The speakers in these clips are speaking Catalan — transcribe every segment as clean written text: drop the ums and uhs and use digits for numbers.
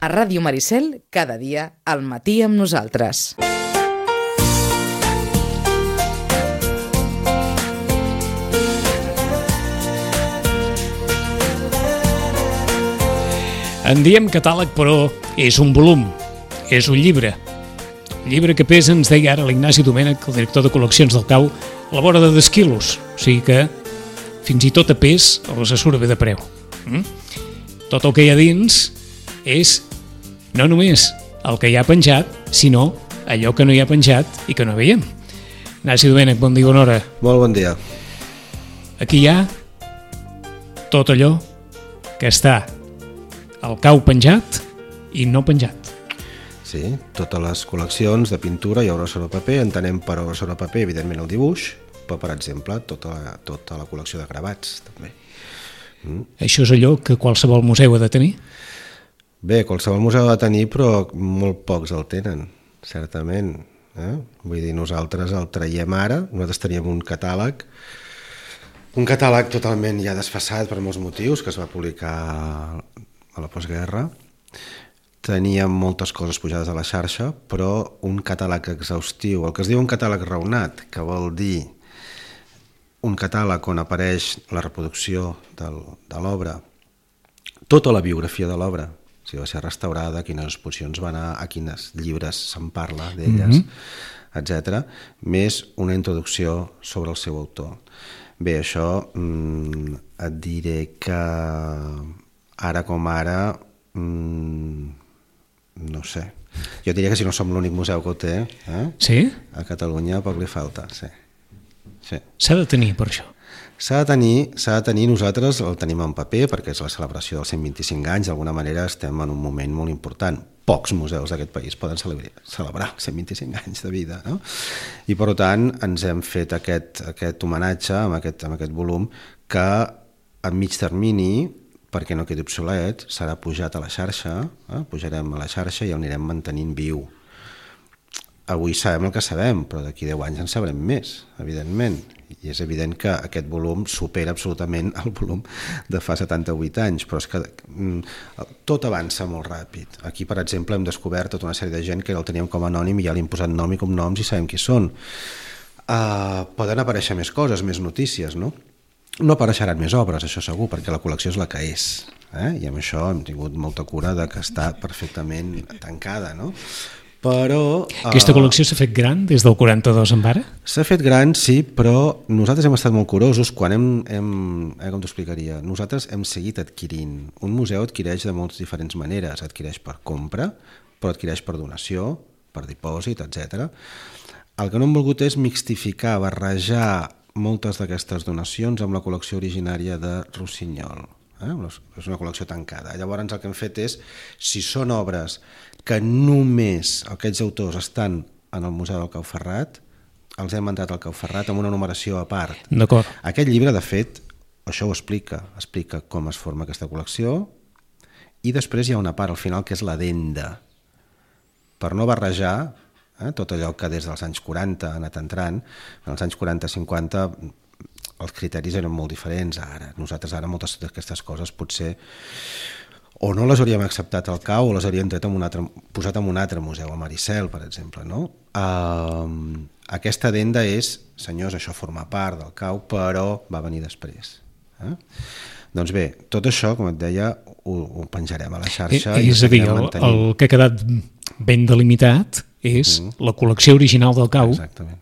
A Ràdio Maricel, cada dia, al matí amb nosaltres. En diem catàleg, però és un volum, és un llibre. Llibre que pesa, ens deia ara l'Ignasi Domènech, el director de col·leccions del CAU, a la vora de 10 quilos. O sigui que fins i tot a pes els surt bé de preu. Tot el que hi ha dins és no només el que hi ha penjat, sinó allò que no hi ha penjat i que no veiem. Ignasi Domènech, bon dia, bona hora. Molt bon dia. Aquí hi ha tot allò que està al CAU penjat i no penjat. Sí, totes les col·leccions de pintura i obra sobre paper, entenem per obra sobre paper, evidentment el dibuix, però, per exemple, tota la col·lecció de gravats, també. Això és allò que qualsevol museu ha de tenir? Bé, qualsevol museu ha de tenir, però molt pocs el tenen, certament. Vull dir, nosaltres el traiem ara, nosaltres teníem un catàleg totalment ja desfasat per molts motius, que es va publicar a la postguerra. Teníem moltes coses pujades a la xarxa, però un catàleg exhaustiu, el que es diu un catàleg raonat, que vol dir un catàleg on apareix la reproducció de l'obra, tota la biografia de l'obra, si va ser restaurada, a quines exposicions va anar, a quines llibres se'n parla d'elles, etc., més una introducció sobre el seu autor. Bé, això et diré que ara com ara, no sé, jo diria que si no som l'únic museu que ho té, Sí? a Catalunya poc li falta, sí. S'ha de tenir per això. S'ha de tenir, nosaltres el tenim en paper perquè és la celebració dels 125 anys, d'alguna manera estem en un moment molt important. Pocs museus d'aquest país poden celebrar 125 anys de vida, no? I per tant ens hem fet aquest homenatge amb aquest volum que a mig termini, perquè no quedi obsolet, serà pujat a la xarxa, pujarem a la xarxa i el anirem mantenint viu. Avui sabem el que sabem, però d'aquí 10 anys en sabrem més, evidentment. I és evident que aquest volum supera absolutament el volum de fa 78 anys, però és que tot avança molt ràpid. Aquí, per exemple, hem descobert tota una sèrie de gent que el teníem com a anònim i ja li hem posat nom i cognoms i sabem qui són. Poden aparèixer més coses, més notícies, no? No apareixeran més obres, això segur, perquè la col·lecció és la que és. I amb això hem tingut molta cura de que està perfectament tancada, no? Però... Aquesta col·lecció s'ha fet gran des del 42 en ara? S'ha fet gran, sí, però nosaltres hem estat molt curosos quan com t'ho explicaria? Nosaltres hem seguit adquirint. Un museu adquireix de moltes diferents maneres. Adquireix per compra, però adquireix per donació, per dipòsit, etc. El que no hem volgut és mixtificar, barrejar moltes d'aquestes donacions amb la col·lecció originària de Rossinyol. És una col·lecció tancada. Llavors el que hem fet és, si són obres que només aquests autors estan en el Museu del Cau Ferrat, els hem entrat al Cau Ferrat amb una numeració a part. D'acord. Aquest llibre, de fet, això ho explica com es forma aquesta col·lecció, i després hi ha una part al final que és l'addenda, per no barrejar tot allò que des dels anys 40 ha anat entrant. En els anys 40-50 els criteris eren molt diferents. Nosaltres ara moltes d'aquestes coses potser o no les hauríem acceptat al CAU o les hauríem posat en un altre museu, a Maricel, per exemple, no? Aquesta addenda és, senyors, això forma part del CAU, però va venir després. Doncs bé, tot això, com et deia, ho penjarem a la xarxa. És a dir, el que ha quedat ben delimitat és la col·lecció original del CAU. Exactament.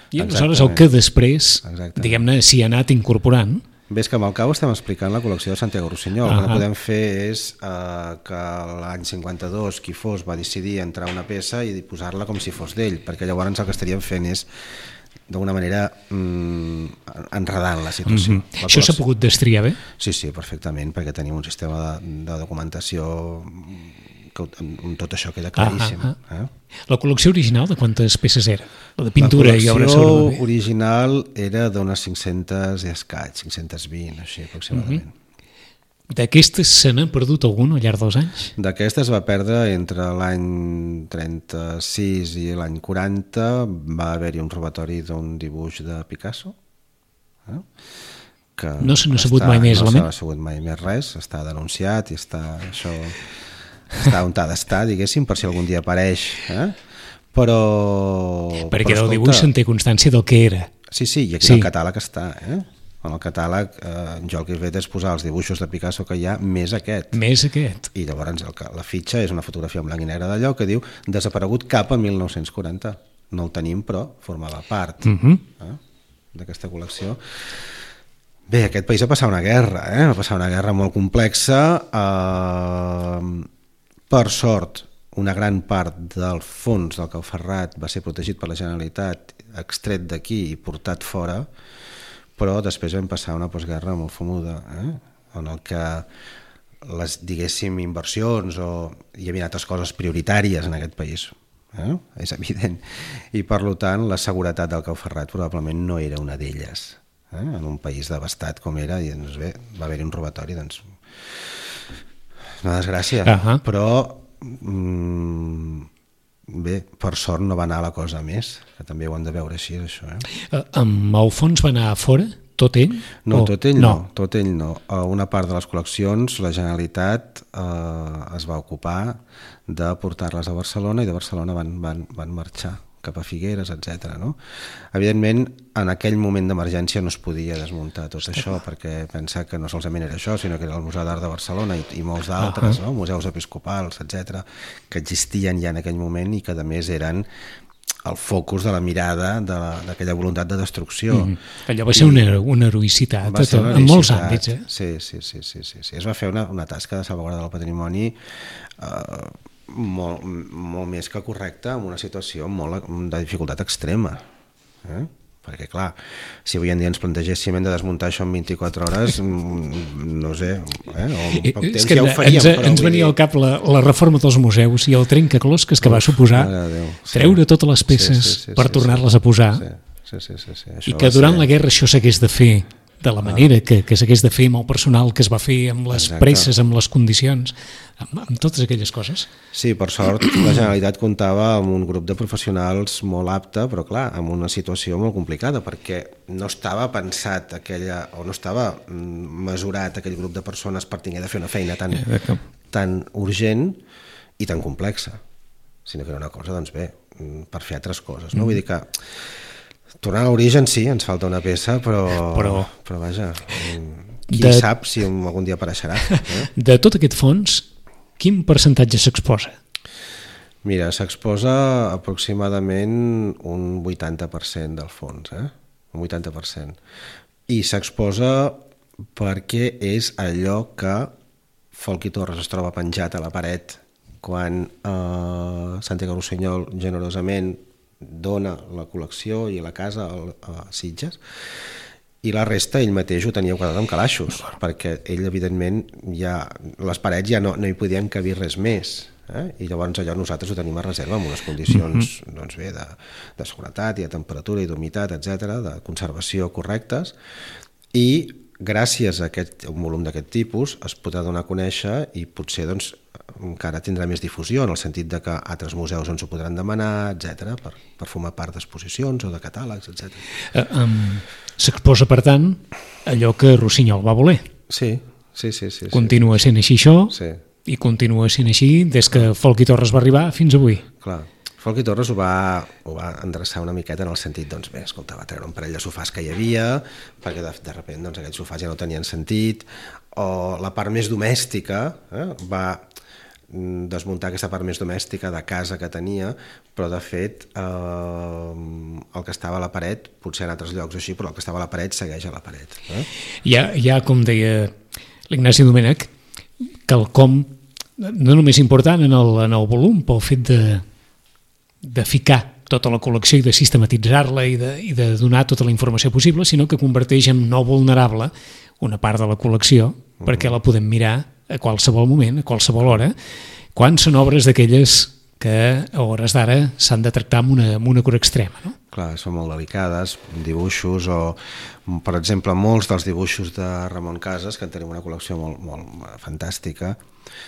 I aleshores el que després, diguem-ne, s'hi ha anat incorporant. Ves que amb el CAU estem explicant la col·lecció de Santiago Rossinyol. El que no podem fer és que l'any 52 qui fos va decidir entrar una peça i posar-la com si fos d'ell, perquè llavors el que estaríem fent és d'alguna manera enredant la situació. Això s'ha pogut destriar bé? Sí, perfectament, perquè tenim un sistema de documentació on tot això queda claríssim. La col·lecció original de quantes peces era? La de pintura i obra sobre paper? La col·lecció original era d'unes 500 i escaig, 520, així aproximadament. D'aquestes se n'ha perdut algun al llarg dels anys? D'aquestes va perdre entre l'any 36 i l'any 40, va haver-hi un robatori d'un dibuix de Picasso. No se n'ha sabut mai més, no s'ha sabut mai més res, està denunciat i està això està on ha d'estar, diguéssim, per si algun dia apareix, però... Perquè del dibuix se'n té constància del que era. Sí, i aquí el catàleg està, En el catàleg jo el que he fet és posar els dibuixos de Picasso que hi ha més aquest. I llavors la fitxa és una fotografia en blanc i negre d'allò que diu desaparegut cap a 1940. No el tenim, però formava part d'aquesta col·lecció. Bé, aquest país va passar una guerra, va passar una guerra molt complexa. Per sort, una gran part del fons del Cau Ferrat va ser protegit per la Generalitat, extret d'aquí i portat fora, però després vam passar una postguerra molt fumuda, en el que les, diguéssim, inversions hi havia altres coses prioritàries en aquest país, és evident, i per tant la seguretat del Cau Ferrat probablement no era una d'elles, en un país devastat com era, i doncs bé, va haver-hi un robatori, doncs una desgràcia, però bé, per sort no va anar la cosa més, que també ho han de veure així, això. Amb el fons va anar a fora, tot ell? No, tot ell no. A una part de les col·leccions la Generalitat es va ocupar de portar-les a Barcelona i de Barcelona van marxar cap a Figueres, etc. Evidentment, en aquell moment d'emergència no es podia desmuntar tot això, perquè pensa que no solament era això, sinó que era el Museu d'Art de Barcelona i molts d'altres, museus episcopals, etc., que existien ja en aquell moment i que a més eren el focus de la mirada d'aquella voluntat de destrucció. Allò va ser una heroïcitat en molts àmbits. Sí. Es va fer una tasca de salvaguarda del patrimoni molt més que correcta, en una situació de dificultat extrema, perquè clar, si avui en dia ens plantegéssim hem de desmuntar això en 24 hores, no sé, o en poc temps ja ho faríem. Ens venia al cap la reforma dels museus i el trencaclosques que va suposar treure totes les peces per tornar-les a posar, i que durant la guerra això s'hagués de fer de la manera que s'hagués de fer amb el personal que es va fer, amb les presses, amb les condicions, amb totes aquelles coses. Sí, per sort la Generalitat comptava amb un grup de professionals molt apte, però clar, amb una situació molt complicada, perquè no estava pensat o no estava mesurat aquell grup de persones per tenir de fer una feina tan urgent i tan complexa, sinó que era una cosa, doncs bé, per fer altres coses. Vull dir que tornant a l'origen sí, ens falta una peça, però vaja, qui sap si algun dia apareixerà. De tot aquest fons, quin percentatge s'exposa? Mira, s'exposa aproximadament un 80% del fons, un 80%. I s'exposa perquè és allò que Folchi Torres es troba penjat a la paret quan Santiago Rossinyol generosament dona la col·lecció i la casa a Sitges, i la resta ell mateix ho tenia quadrat amb calaixos, perquè ell evidentment les parets ja no hi podien cabir res més, i llavors allò nosaltres ho tenim a reserva amb unes condicions de seguretat i de temperatura i d'humitat, etc., de conservació correctes, i gràcies a un volum d'aquest tipus es podrà donar a conèixer i potser encara tindrà més difusió en el sentit de que altres museus ens ho podran demanar, etc., per formar part d'exposicions o de catàlegs, etc. S'exposa, per tant, allò que Rossinyol va voler. Sí. Continua sent així això, i continua sent així des que Folchi Torres va arribar fins avui. Clar. Folchi Torres ho va endreçar una miqueta en el sentit, doncs bé, escolta, va treure un parell de sofàs que hi havia, perquè de sobte aquells sofàs ja no tenien sentit, o la part més domèstica, va desmuntar aquesta part més domèstica de casa que tenia, però de fet el que estava a la paret, potser en altres llocs així, però el que estava a la paret segueix a la paret. Hi ha, com deia l'Ignasi Domènech, quelcom no només important en el volum pel fet de ficar tota la col·lecció i de sistematitzar-la i de donar tota la informació possible, sinó que converteix en no vulnerable una part de la col·lecció perquè la podem mirar a qualsevol moment, a qualsevol hora, quan són obres d'aquelles que a hores d'ara s'han de tractar amb una cura extrema, no? Clar, són molt delicades, dibuixos o, per exemple, molts dels dibuixos de Ramon Casas, que en tenim una col·lecció molt fantàstica,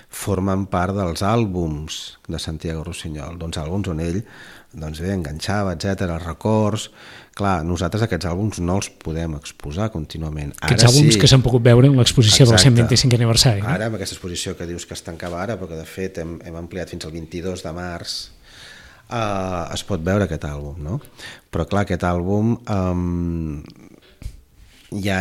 formen part dels àlbums de Santiago Rusiñol, àlbums on ell enganxava, etc, records. Clar, nosaltres aquests àlbums no els podem exposar contínuament. Aquests àlbums que s'han pogut veure en l'exposició del 125è aniversari. Ara, amb aquesta exposició que dius que es tancava ara, però que de fet hem ampliat fins al 22 de març, es pot veure aquest àlbum, no? Però clar, aquest àlbum hi ha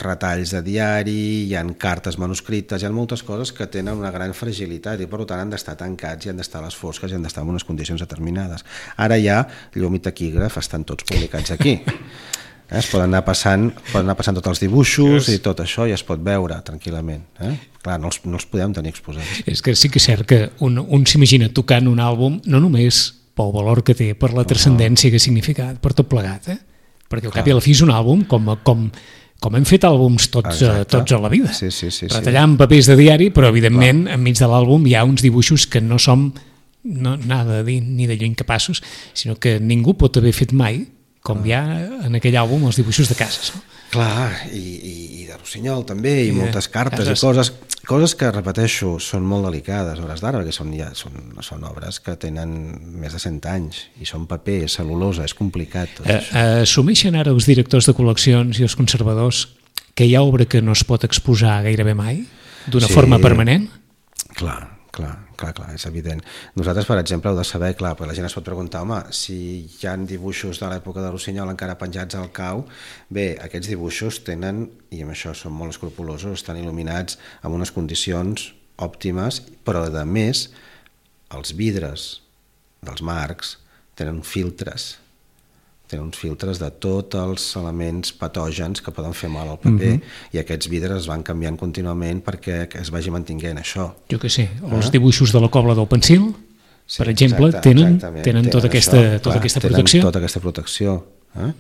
retalls de diari, hi ha cartes manuscrites, hi ha moltes coses que tenen una gran fragilitat i per tant han d'estar tancats i han d'estar a les fosques i han d'estar en unes condicions determinades. Ara ja llum i taquígraf estan tots publicats aquí. Es poden anar passant tots els dibuixos i tot això i es pot veure tranquil·lament. Clar, no els podem tenir exposats. És que sí que és cert que un s'imagina tocant un àlbum no només pel valor que té, per la transcendència que ha significat, per tot plegat, perquè al cap i a la fi és un àlbum com hem fet àlbums tots a la vida. Retallant papers de diari, però evidentment enmig de l'àlbum hi ha uns dibuixos que no som nada de dir ni de lluny capaços, sinó que ningú pot haver fet mai, com hi ha en aquell àlbum, els dibuixos de cases. Clar, i de Rusiñol també, i moltes cartes i coses que, repeteixo, són molt delicades a hores d'ara, perquè són obres que tenen més de 100 anys i són paper, cel·lulosa, és complicat tot això. Assumeixen ara els directors de col·leccions i els conservadors que hi ha obra que no es pot exposar gairebé mai, d'una forma permanent? Clar, és evident. Nosaltres, per exemple, heu de saber, clar, perquè la gent es pot preguntar, home, si hi ha dibuixos de l'època de Rusiñol encara penjats al cau, bé, aquests dibuixos tenen, i amb això són molt escrupulosos, estan il·luminats en unes condicions òptimes, però a més, els vidres dels marcs tenen filtres de tots els elements patògens que poden fer mal al paper, i aquests vidres es van canviant contínuament perquè es vagi mantinguent això. Jo què sé, els dibuixos de la Cobla del Pensil, per exemple, tenen tota aquesta protecció. Tota aquesta protecció. En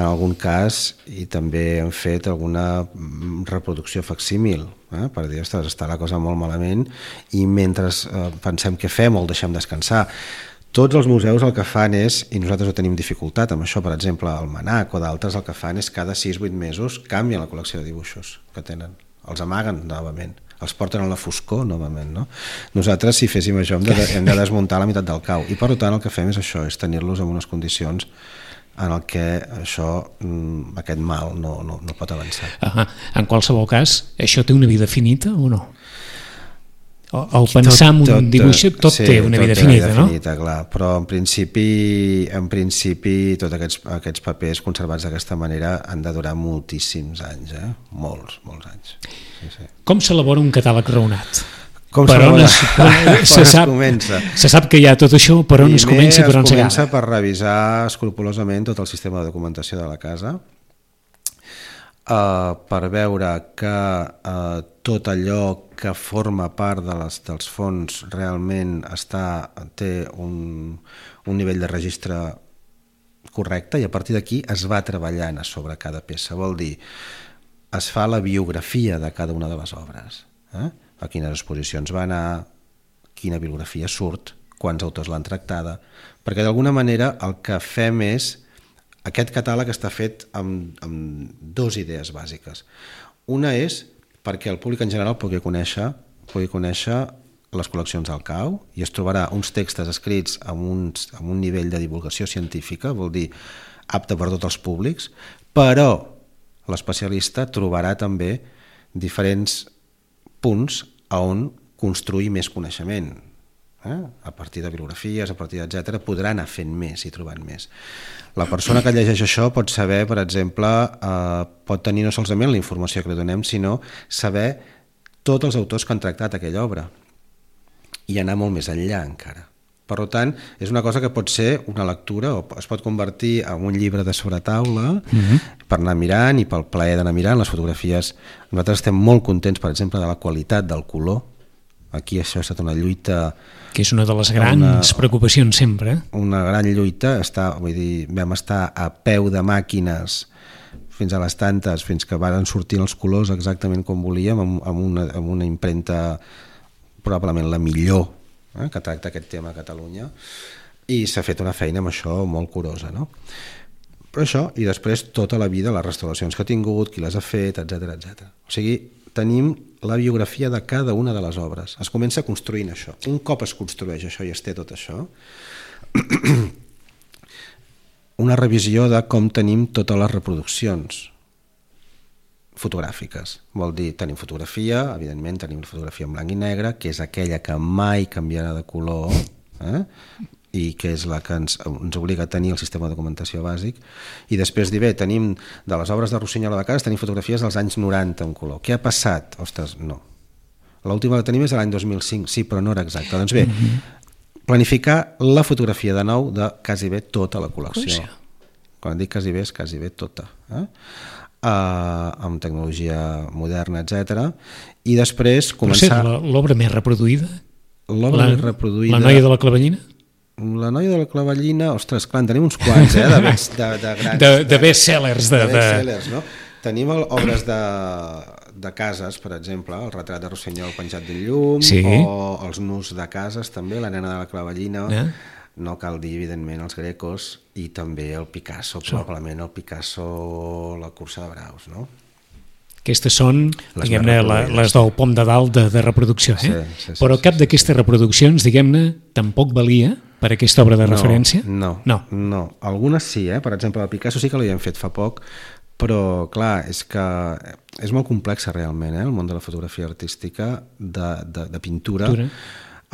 algun cas, i també hem fet alguna reproducció facsímil, per dir, ostres, està la cosa molt malament, i mentre pensem què fem o el deixem descansar. Tots els museus el que fan és, i nosaltres ho tenim dificultat amb això, per exemple, el MNAC o d'altres, el que fan és cada 6-8 mesos canvien la col·lecció de dibuixos que tenen, els amaguen novament, els porten a la foscor novament, no? Nosaltres, si féssim això, hem de desmuntar la meitat del cau, i per tant el que fem és això, és tenir-los en unes condicions en el que aquest mal no pot avançar. En qualsevol cas, això té una vida finita o no? El pensar en un dibuix tot té una vida finita, no? Clar, però en principi tots aquests papers conservats d'aquesta manera han de durar moltíssims anys, molts anys. Com s'elabora un catàleg raonat? Se sap que hi ha tot això, per on es comença i per on s'acaba? Es comença per revisar escrupolosament tot el sistema de documentació de la casa, per veure que tot allò que forma part dels fons realment té un nivell de registre correcte, i a partir d'aquí es va treballant sobre cada peça. Vol dir, es fa la biografia de cada una de les obres, a quines exposicions va anar, quina bibliografia surt, quants autors l'han tractada, perquè d'alguna manera el que fem és, aquest catàleg està fet amb dues idees bàsiques. Una és perquè el públic en general pugui conèixer les col·leccions del cau, i es trobarà uns textos escrits amb un nivell de divulgació científica, vol dir apte per tots els públics, però l'especialista trobarà també diferents punts on construir més coneixement. A partir de bibliografies, a partir etc., podrà anar fent més i trobant més. La persona que llegeix això pot saber, per exemple, pot tenir no solament la informació que li donem, sinó saber tots els autors que han tractat aquella obra i anar molt més enllà encara. Per tant, és una cosa que pot ser una lectura o es pot convertir en un llibre de sobretaula per anar mirant i pel plaer d'anar mirant les fotografies. Nosaltres estem molt contents, per exemple, de la qualitat del color. Aquí això ha estat una lluita... Que és una de les grans preocupacions sempre. Una gran lluita, vam estar a peu de màquines fins a les tantes, fins que van sortir els colors exactament com volíem, amb una impremta probablement la millor que tracta aquest tema a Catalunya, i s'ha fet una feina amb això molt curosa, no? Però això, i després tota la vida, les restauracions que ha tingut, qui les ha fet, etc. O sigui, tenim la biografia de cada una de les obres. Es comença construint això. Un cop es construeix això i es té tot això, una revisió de com tenim totes les reproduccions fotogràfiques. Vol dir, tenim fotografia, evidentment tenim la fotografia en blanc i negre, que és aquella que mai canviarà de color, i que és la que ens obliga a tenir el sistema de documentació bàsic, i després dir, bé, tenim de les obres de Rossinyola de Cases, tenim fotografies dels anys 90 en color. Què ha passat? Ostres, no. L'última que tenim és de l'any 2005, sí, però no era exacta. Doncs bé, planificar la fotografia de nou de quasi bé tota la col·lecció. Quan dic quasi bé, és quasi bé tota. Amb tecnologia moderna, etc. I després començar... Però sí, l'obra més reproduïda? L'obra més reproduïda... La noia de la clavellina? La noia de la clavellina, ostres, clar, en tenim uns quants, de grans... De best-sellers. De best-sellers, no? Tenim obres de cases, per exemple, el retrat de Rossinyol penjat del llum, sí. O els nus de cases, també, la nena de la clavellina, no cal dir, evidentment, els Grecos, i també el Picasso, probablement el Picasso, la cursa de braus, no? Aquestes són, diguem-ne, les del pom de dalt de reproducció, Sí, però cap d'aquestes reproduccions, diguem-ne, tampoc valia per aquesta obra de referència? No. Algunes sí, per exemple, el Picasso sí que l'havien fet fa poc, però clar, és que és molt complexa realment, el món de la fotografia artística, de pintura.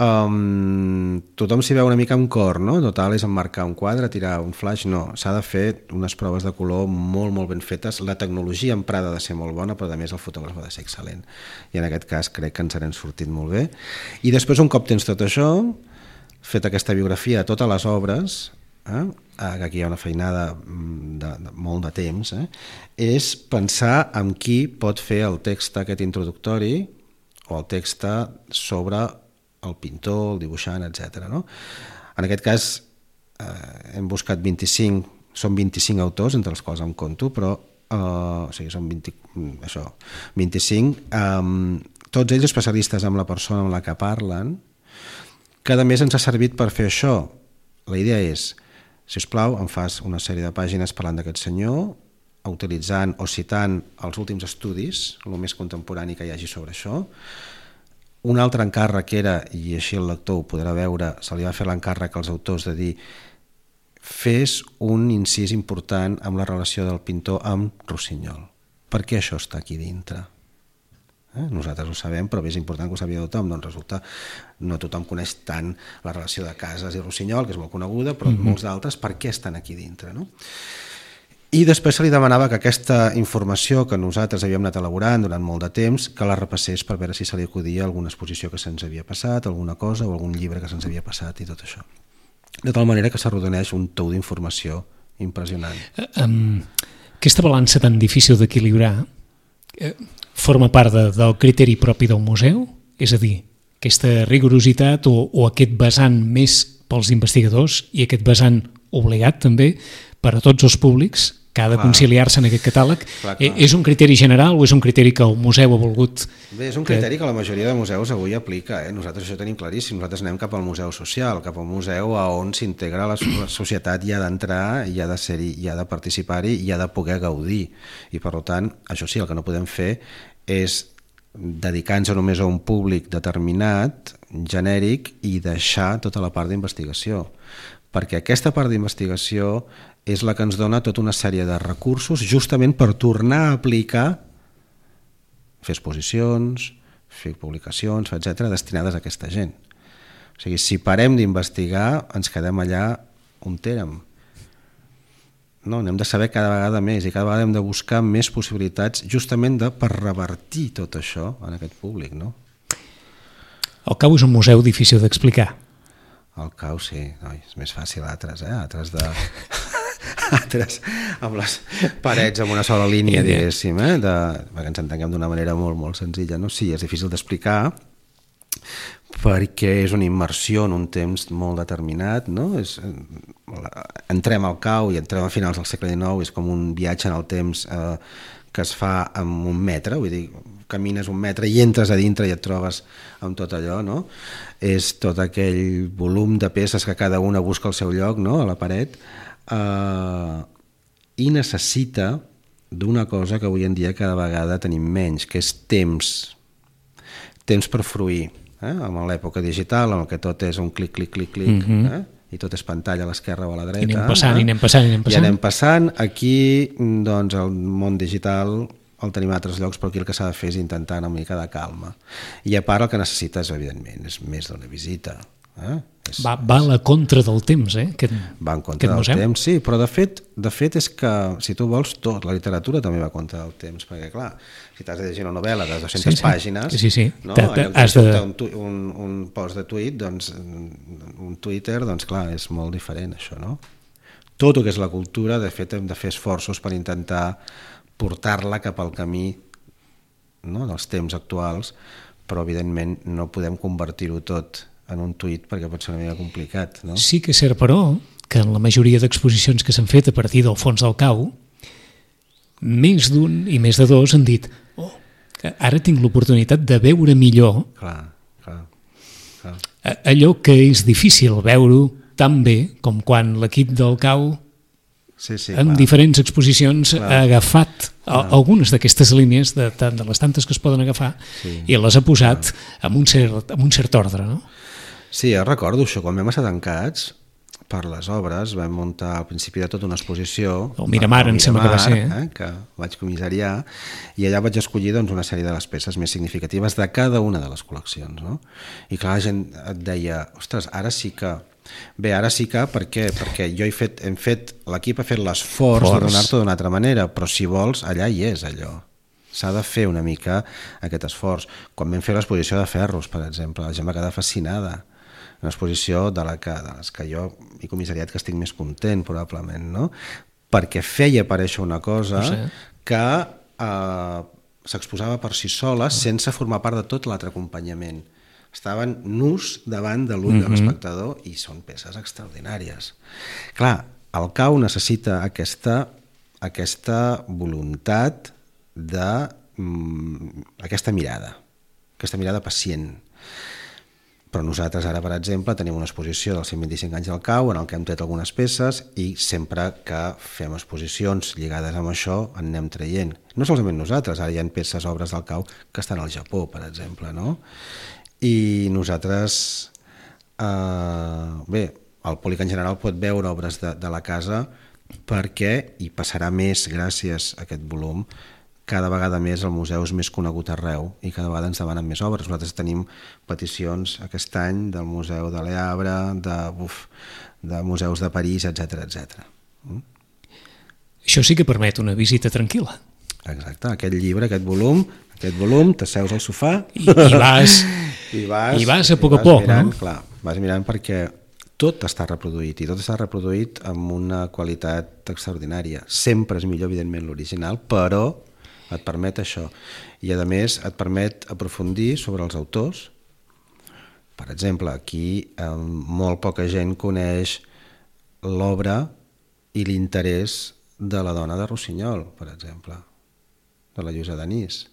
Tothom s'hi veu una mica amb cor, no? Total, és emmarcar un quadre, tirar un flash, no, s'ha de fer unes proves de color molt ben fetes, la tecnologia emprada ha de ser molt bona, però a més el fotògraf ha de ser excel·lent, i en aquest cas crec que ens n'hem sortit molt bé. I després, un cop tens tot això, fet aquesta biografia de totes les obres, que aquí hi ha una feinada de molt de temps, és pensar en qui pot fer el text aquest introductori o el text sobre el pintor, el dibuixant, etc. No? En aquest cas hem buscat 25, són 25 autors, entre els quals em compto, però o sigui, són 25, tots ells especialistes en la persona amb la que parlen, que a més ens ha servit per fer això. La idea és, si us plau, em fas una sèrie de pàgines parlant d'aquest senyor, utilitzant o citant els últims estudis, el més contemporani que hi hagi sobre això. Un altre encàrrec era, i així el lector ho podrà veure, se li va fer l'encàrrec als autors de dir fes un incís important amb la relació del pintor amb Rossinyol. Per què això està aquí dintre? Nosaltres ho sabem, però és important que ho sàpiga tothom. Doncs resulta, no tothom coneix tant la relació de Cases i Rossinyol, que és molt coneguda, però molts d'altres, per què estan aquí dintre, no? I després se li demanava que aquesta informació que nosaltres havíem anat elaborant durant molt de temps, que la repassés per veure si se li acudia alguna exposició que se'ns havia passat, alguna cosa o algun llibre que se'ns havia passat i tot això. De tal manera que s'arrodoneix un tou d'informació impressionant. Aquesta balança tan difícil d'equilibrar forma part del criteri propi del museu? És a dir, aquesta rigorositat o aquest vessant més pels investigadors i aquest vessant obligat també per a tots els públics que ha de conciliar-se en aquest catàleg. És un criteri general o és un criteri que el museu ha volgut? Bé, és un criteri que la majoria de museus avui aplica. Nosaltres això ho tenim claríssim. Nosaltres anem cap al museu social, cap al museu on s'integra la societat i ha d'entrar, i ha de ser-hi, i ha de participar-hi, i ha de poder gaudir. I per tant, això sí, el que no podem fer és dedicar-nos només a un públic determinat, genèric, i deixar tota la part d'investigació. Perquè aquesta part d'investigació és la que ens dona tota una sèrie de recursos justament per tornar a aplicar, fer exposicions, fer publicacions, etc., destinades a aquesta gent. O sigui, si parem d'investigar, ens quedem allà on érem. No, n'hem de saber cada vegada més i cada vegada hem de buscar més possibilitats justament per revertir tot això en aquest públic. No? El Cau és un museu difícil d'explicar. El Cau, sí, és més fàcil altres amb les parets amb una sola línia, diguéssim, perquè ens entenguem d'una manera molt, molt senzilla. No? Sí, és difícil d'explicar perquè és una immersió en un temps molt determinat, no? Entrem al Cau i entrem a finals del segle XIX, és com un viatge en el temps que es fa amb un metre, vull dir, camines un metre i entres a dintre i et trobes amb tot allò, no? És tot aquell volum de peces que cada una busca el seu lloc, no? A la paret, i necessita d'una cosa que avui en dia cada vegada tenim menys, que és temps per fruir. En l'època digital, en què tot és un clic, i tot és pantalla a l'esquerra o a la dreta. I anem passant. Aquí, doncs, el món digital el tenim a altres llocs, però aquí el que s'ha de fer és intentar una mica de calma. I a part el que necessites, evidentment, és més d'una visita. Va a la contra del temps, va en contra del temps, sí, però de fet és que, si tu vols, tot, la literatura també va contra del temps, perquè clar, si t'has de llegir una novel·la de 200 pàgines, no? Has de un post de tuit, doncs un Twitter, doncs clar, és molt diferent això, no? Tot el que és la cultura, de fet, hem de fer esforços per intentar portar-la cap al camí, no?, dels temps actuals, però evidentment no podem convertir-ho tot en un tuit perquè pot ser una mica complicat, no? Sí que és cert, però, que en la majoria d'exposicions que s'han fet a partir del fons del cau, més d'un i més de dos han dit que ara tinc l'oportunitat de veure millor allò que és difícil veure-ho tan bé com quan l'equip del cau en diferents exposicions ha agafat algunes d'aquestes línies de les tantes que es poden agafar i les ha posat amb un cert ordre, no? Sí, recordo això, quan vam estar tancats per les obres, vam muntar al principi de tot una exposició el Miramar, em sembla que va ser, que vaig comissariar, i allà vaig escollir una sèrie de les peces més significatives de cada una de les col·leccions, no? I clar, la gent et deia, ostres, ara sí que per què? Perquè l'equip ha fet l'esforç de donar-te d'una altra manera, però si vols, allà hi és allò. S'ha de fer una mica aquest esforç. Quan vam fer l'exposició de ferros, per exemple, la gent va quedar fascinada. Una exposició de les que jo he comissariat que estic més content, probablement, no? Perquè feia aparèixer una cosa que s'exposava per si sola sense formar part de tot l'altre acompanyament. Estaven nus davant de l'ull de l'espectador i són peces extraordinàries. Clar, el cau necessita aquesta voluntat d'aquesta mirada pacient. Però nosaltres ara, per exemple, tenim una exposició dels 125 anys del cau en què hem tret algunes peces i sempre que fem exposicions lligades amb això en anem traient. No solament nosaltres, ara hi ha peces, obres del cau que estan al Japó, per exemple, no? I nosaltres, el públic en general pot veure obres de la casa perquè hi passarà més gràcies a aquest volum. Cada vegada més el museu és més conegut arreu i cada vegada ens demanen més obres. Nosaltres tenim peticions aquest any del Museu de Le Havre, de museus de París, etc. Això sí que permet una visita tranquil·la. Exacte, aquest llibre, aquest volum, t'asseus al sofà i vas a poc a poc, mirant, no? Clar, vas mirant perquè tot està reproduït i tot està reproduït amb una qualitat extraordinària. Sempre és millor, evidentment, l'original, però et permet això. I, a més, et permet aprofundir sobre els autors. Per exemple, aquí molt poca gent coneix l'obra i l'interès de la dona de Rossinyol, per exemple, de la Lluïsa Denis.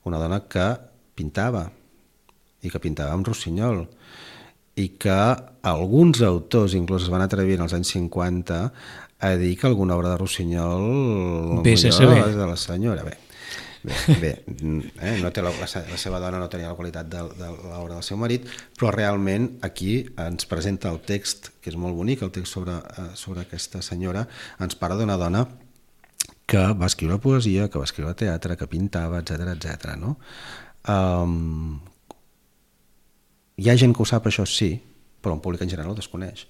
Una dona que pintava i que pintava amb Rossinyol i que alguns autors inclús es van atrevir en els anys 50 a dir que alguna obra de Rossinyol és de la senyora. No té la seva dona no tenia la qualitat de l'obra del seu marit, però realment aquí ens presenta el text, que és molt bonic, el text sobre aquesta senyora, ens parla d'una dona que va escriure poesia, que va escriure teatre, que pintava, etc. No? Hi ha gent que ho sap, això sí, però en públic en general ho desconeix.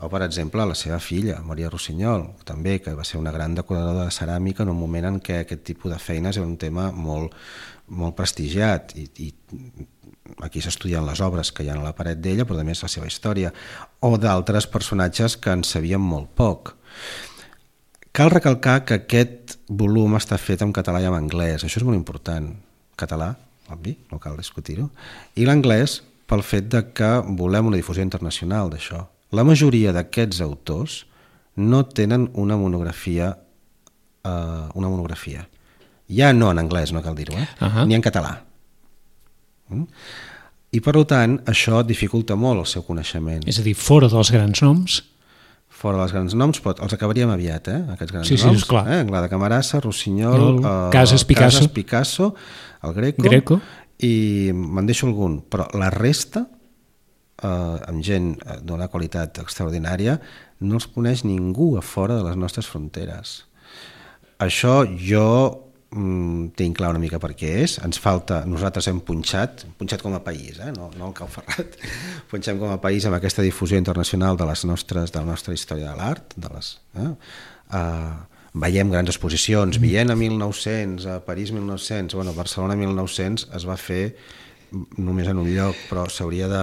O, per exemple, la seva filla, Maria Rossinyol, també, que va ser una gran decoradora de ceràmica en un moment en què aquest tipus de feines era un tema molt, molt prestigiat i aquí s'estudien les obres que hi ha a la paret d'ella, però també és la seva història, o d'altres personatges que en sabíem molt poc. Cal recalcar que aquest volum està fet en català i en anglès, això és molt important. Català, obvi, no cal discutir-ho, i l'anglès pel fet de que volem una difusió internacional d'això. La majoria d'aquests autors no tenen una monografia, ja no en anglès, no cal dir-ho, ni en català. I per tant, això dificulta molt el seu coneixement. És a dir, fora dels grans noms? fora dels grans noms, però els acabaríem aviat, aquests grans Sí, noms. esclar. Anglada Camarasa, Rossinyol, Casas Picasso, el Greco, i me'n deixo algun, però la resta, amb gent d'una qualitat extraordinària, no els coneix ningú a fora de les nostres fronteres. Això jo tinc clar una mica per què és. Ens falta, nosaltres hem punxat com a país, no el Cau Ferrat, punxem com a país amb aquesta difusió internacional de la nostra història de l'art, veiem grans exposicions, Viena 1900, a París 1900, bueno, Barcelona 1900 es va fer només en un lloc, però s'hauria de...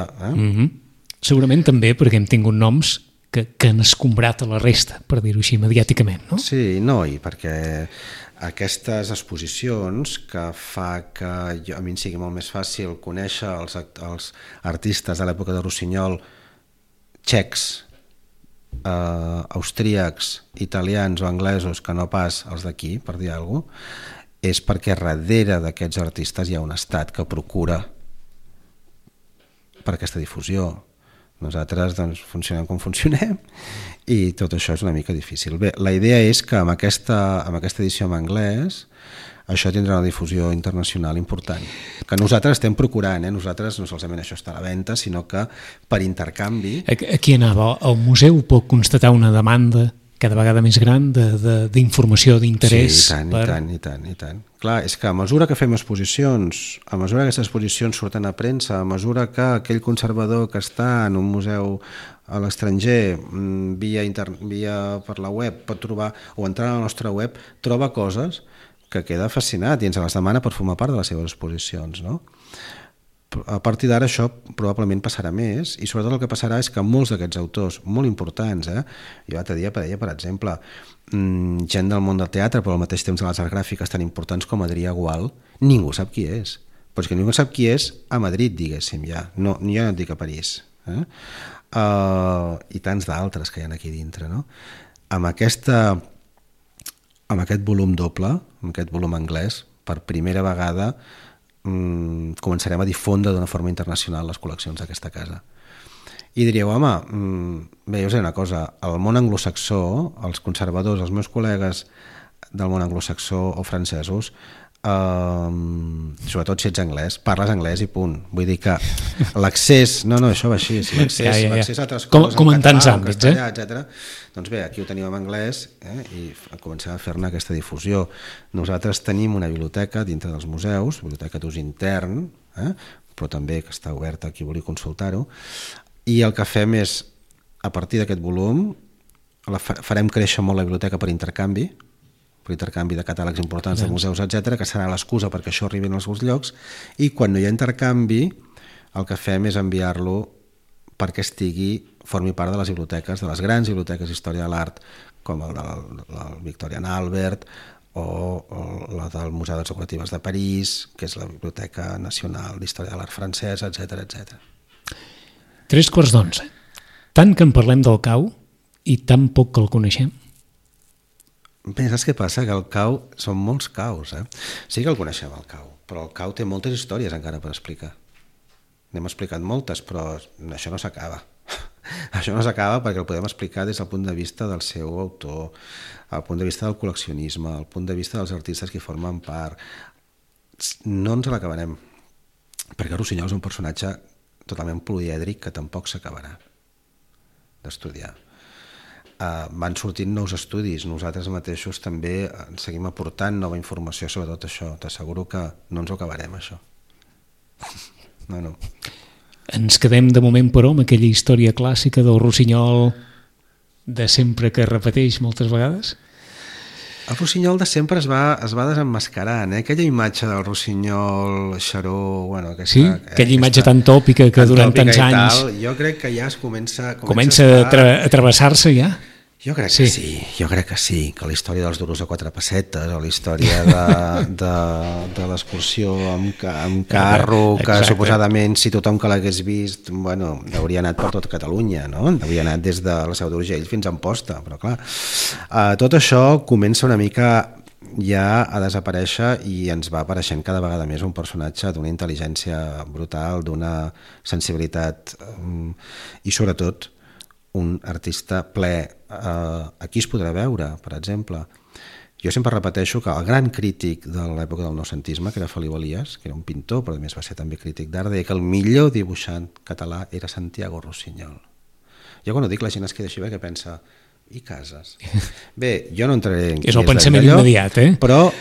Segurament també perquè hem tingut noms que han escombrat a la resta, per dir-ho així, mediàticament, no? Sí, no, i perquè aquestes exposicions que fa que a mi em sigui molt més fàcil conèixer els artistes de l'època de Rossinyol txecs, austríacs, italians o anglesos que no pas els d'aquí, per dir alguna cosa, és perquè darrere d'aquests artistes hi ha un estat que procura per aquesta difusió. Nosaltres doncs, funcionem com funcionem i tot això és una mica difícil. Bé, la idea és que amb aquesta edició en anglès això tindrà una difusió internacional important, que nosaltres estem procurant, nosaltres no solament això està a la venda, sinó que per intercanvi... Aquí anava, el museu pot constatar una demanda cada vegada més gran d'informació, d'interès. Sí, i tant. Clar, és que a mesura que fem exposicions, a mesura que aquestes exposicions surten a premsa, a mesura que aquell conservador que està en un museu a l'estranger via per la web pot trobar, o entrar a la nostra web, troba coses que queda fascinat i ens les demana per formar part de les seves exposicions, no? A partir d'ara això probablement passarà més i sobretot el que passarà és que molts d'aquests autors molt importants, jo l'altre dia deia, per exemple, gent del món del teatre però al mateix temps de les arts gràfiques tan importants com Adrià Gual, ningú sap qui és, però és que ningú sap qui és a Madrid, diguéssim, ja, no, jo no et dic a París, i tants d'altres que hi ha aquí dintre, no? Amb aquest volum doble, amb aquest volum anglès, per primera vegada començarem a difondre d'una forma internacional les col·leccions d'aquesta casa. I diríeu, home, bé, jo sé una cosa, el món anglosaxó, els conservadors, els meus col·legues del món anglosaxó o francesos, sobretot si ets anglès, parles anglès i punt. Vull dir que l'accés, no, això va així, l'accés a altres coses, com en tants àmbits, etc. Doncs bé, aquí ho tenim en anglès i comencem a fer-ne aquesta difusió. Nosaltres tenim una biblioteca dintre dels museus, biblioteca d'ús intern, però també que està oberta a qui vulgui consultar-ho, i el que fem és, a partir d'aquest volum, farem créixer molt la biblioteca per intercanvi de catàlegs importants de museus, etc, que serà l'excusa perquè això arribi als seus llocs, i quan no hi ha intercanvi el que fem és enviar-lo perquè formi part de les biblioteques, de les grans biblioteques d'història de l'art, com el del Victorian Albert o la del Museu d'Arts Decoratives de París, que és la Biblioteca Nacional d'Història de l'Art Francès, etc. 11:03. Tant que en parlem del Cau i tan poc que el coneixem. Bé, saps què passa? Que el Cau són molts caus, Sí que el coneixem, el Cau, però el Cau té moltes històries encara per explicar. N'hem explicat moltes, però això no s'acaba. Això no s'acaba perquè el podem explicar des del punt de vista del seu autor, el punt de vista del col·leccionisme, el punt de vista dels artistes que formen part. No ens l'acabarem, perquè Rossinyol és un personatge totalment polièdric que tampoc s'acabarà d'estudiar. Van sortint nous estudis, nosaltres mateixos també seguim aportant nova informació sobre tot això. T'asseguro que no ens ho acabarem, això. No. Ens quedem de moment, però, amb aquella història clàssica del Rossinyol de sempre que repeteix moltes vegades? El Rossinyol de sempre es va desemmascarant, aquella imatge del Rossinyol xaró, sí, aquella imatge tan tòpica que durant tants anys jo crec que ja es comença a travessar-se ja. Jo crec que sí, que la història dels duros a 4 pessetes o la història de l'excursió amb carro, que suposadament si tothom que l'hagués vist hauria anat per tot Catalunya, no? Hauria anat des de la Seu d'Urgell fins a Amposta, però clar, tot això comença una mica ja a desaparèixer i ens va apareixent cada vegada més un personatge d'una intel·ligència brutal, d'una sensibilitat i sobretot un artista ple. Aquí es podrà veure, per exemple. Jo sempre repeteixo que el gran crític de l'època del noucentisme, que era Feliu Elias, que era un pintor, però a més va ser també crític d'art, deia que el millor dibuixant català era Santiago Rossinyol. Jo quan ho dic la gent es queda així que pensa, i Casas? Bé, jo no entraré en és el pensament immediat, però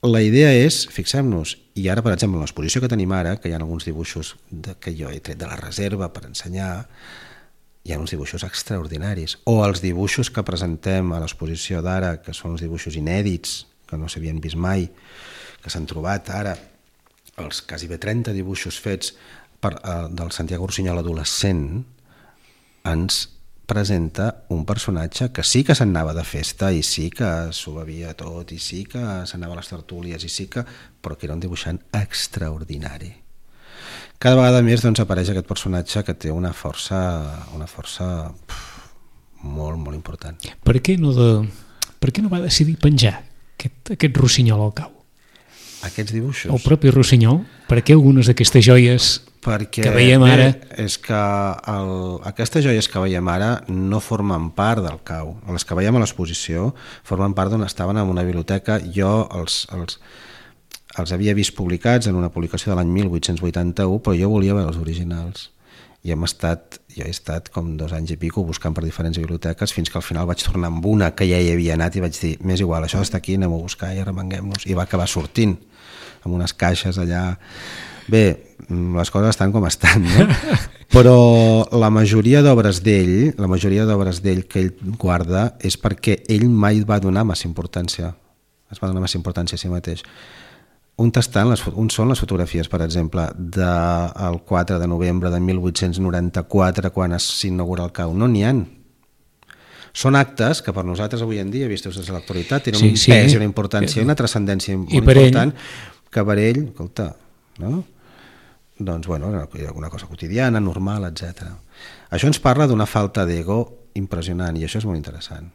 la idea és, fixem-nos, i ara per exemple en l'exposició que tenim ara, que hi ha alguns dibuixos que jo he tret de la reserva per ensenyar, hi ha uns dibuixos extraordinaris, o els dibuixos que presentem a l'exposició d'ara, que són els dibuixos inèdits, que no s'havien vist mai, que s'han trobat ara, els quasi bé 30 dibuixos fets del Santiago Rossinyol adolescent, ens presenta un personatge que sí que s'anava de festa i sí que s'ho bevia tot i sí que s'anava a les tertúlies i sí que... però que era un dibuixant extraordinari. Cada vegada més doncs, apareix aquest personatge que té una força molt, molt important. Per què no va decidir penjar aquest Rossinyol al cau? Aquests dibuixos? El propi Rossinyol, per què algunes d'aquestes joies que veiem ara... És que aquestes joies que veiem ara no formen part del cau. Les que veiem a l'exposició formen part d'on estaven en una biblioteca. Jo els havia vist publicats en una publicació de l'any 1881, però jo volia veure els originals. I jo he estat com 2 anys i pico buscant per diferents biblioteques fins que al final vaig tornar amb una que ja hi havia anat i vaig dir, m'és igual, això està aquí, anem a buscar i arremanguem-nos. I va acabar sortint amb unes caixes allà. Bé, les coses estan com estan, no? Però la majoria d'obres d'ell que ell guarda és perquè ell mai va donar massa importància. Es va donar massa importància a si mateix. Un són les fotografies, per exemple, del 4 de novembre de 1894, quan s'inaugura el cau. No n'hi ha. Són actes que per nosaltres avui en dia, vistos des de l'actualitat, tenen un pes i una importància i una transcendència molt important, que per ell, escolta, no? Doncs, bueno, una cosa quotidiana, normal, etc. Això ens parla d'una falta d'ego impressionant i això és molt interessant.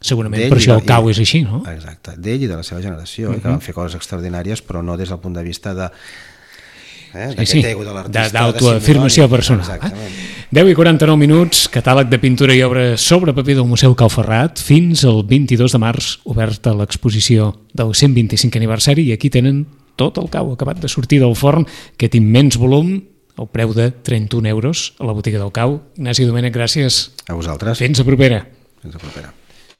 Segurament per això el cau és així, no? Exacte, d'ell i de la seva generació, que van fer coses extraordinàries, però no des del punt de vista d'aquest ego de l'artista. D'autoafirmació personal. Exactament. 10:49 minuts, catàleg de pintura i obra sobre paper del Museu Cau Ferrat, fins al 22 de març, oberta l'exposició del 125 aniversari, i aquí tenen tot el cau acabat de sortir del forn, aquest immens volum, al preu de 31 euros a la botiga del cau. Ignasi Domènech, gràcies. A vosaltres. Fins a propera. Fins a propera.